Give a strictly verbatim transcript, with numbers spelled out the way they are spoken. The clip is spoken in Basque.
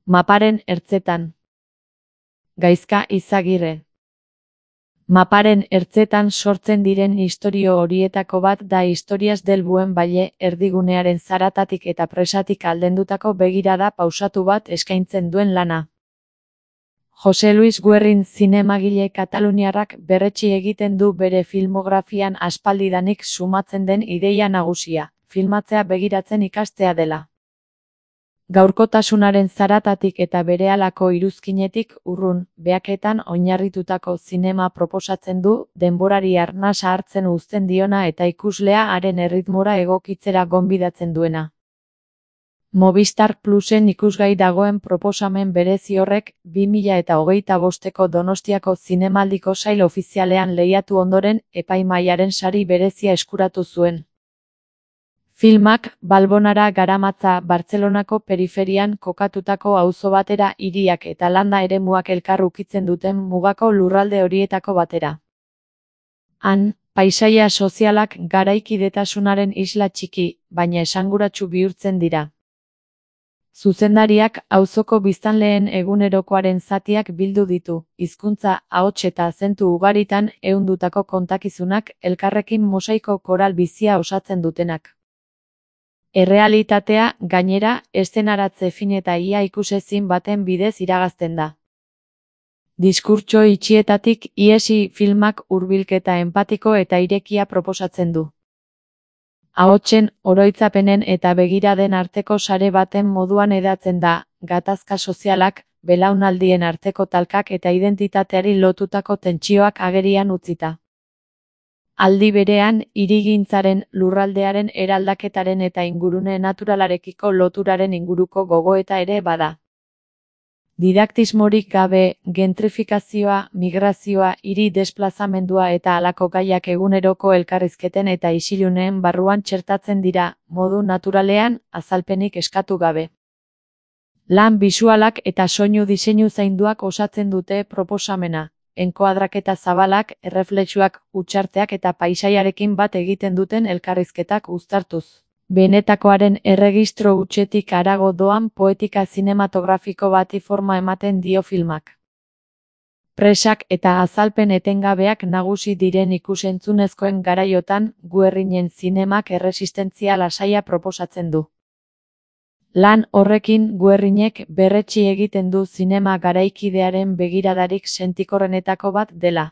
Maparen ertzetan. Gaizka Izagirre. Maparen ertzetan sortzen diren istorio horietako bat da Historias del Buen Valle, erdigunearen zaratatik eta presatik aldendutako begirada pausatu bat eskaintzen duen lana. Jose Luis Guerrin zinemagile kataluniarrak berretsi egiten du bere filmografian aspaldidanik sumatzen den ideia nagusia, filmatzea begiratzen ikastea dela. Gaurkotasunaren zaratatik eta berehalako iruzkinetik urrun, behaketan oinarritutako zinema proposatzen du, denborari arnasa hartzen uzten diona eta ikuslea haren erritmora egokitzera gonbidatzen duena. Movistar Plusen ikusgai dagoen proposamen berezi horrek, bi mila eta hogeita bosteko Donostiako zinemaldiko sail ofizialean lehiatu ondoren, epaimahaiaren sari berezia eskuratu zuen. Filmak, Balbonara garamatza Bartzelonako periferian kokatutako auzo batera hiriak eta landa eremuak elkar ukitzen duten mugako lurralde horietako batera. Han, paisaia sozialak garaikidetasunaren isla txiki, baina esanguratsu bihurtzen dira. Zuzendariak auzoko biztanleen egunerokoaren zatiak bildu ditu, hizkuntza, ahots eta zentu ugaritan ehundutako kontakizunak elkarrekin mosaiko koral bizia osatzen dutenak. Errealitatea, gainera, eszenaratze fin eta ia ikusezin baten bidez iragazten da. Diskurtso itxietatik ihesi filmak hurbilketa enpatiko eta irekia proposatzen du. Ahotsen, oroitzapenen eta begiraden arteko sare baten moduan hedatzen da, gatazka sozialak, belaunaldien arteko talkak eta identitateari lotutako tentsioak agerian utzita. Aldi berean, hirigintzaren, lurraldearen eraldaketaren eta ingurune naturalarekiko loturaren inguruko gogoeta ere bada. Didaktismorik gabe, gentrifikazioa, migrazioa, hiri desplazamendua eta halako gaiak eguneroko elkarrizketen eta isiluneen barruan txertatzen dira, modu naturalean, azalpenik eskatu gabe. Lan bisualak eta soinu diseinu zainduak osatzen dute proposamena. Enkoadraketa zabalak, erreflexuak, hutsarteak eta paisaiarekin bat egiten duten elkarrizketak uztartuz. Benetakoaren erregistro hutsetik harago doan poetika zinematografiko bati forma ematen dio filmak. Presak eta azalpen etengabeak nagusi diren ikus-entzunezkoen garaiotan, Guerrinen zinemak erresistentzia lasaia proposatzen du. Lan horrekin Guerrinek berretsi egiten du zinema garaikidearen begiradarik sentikorrenetako bat dela.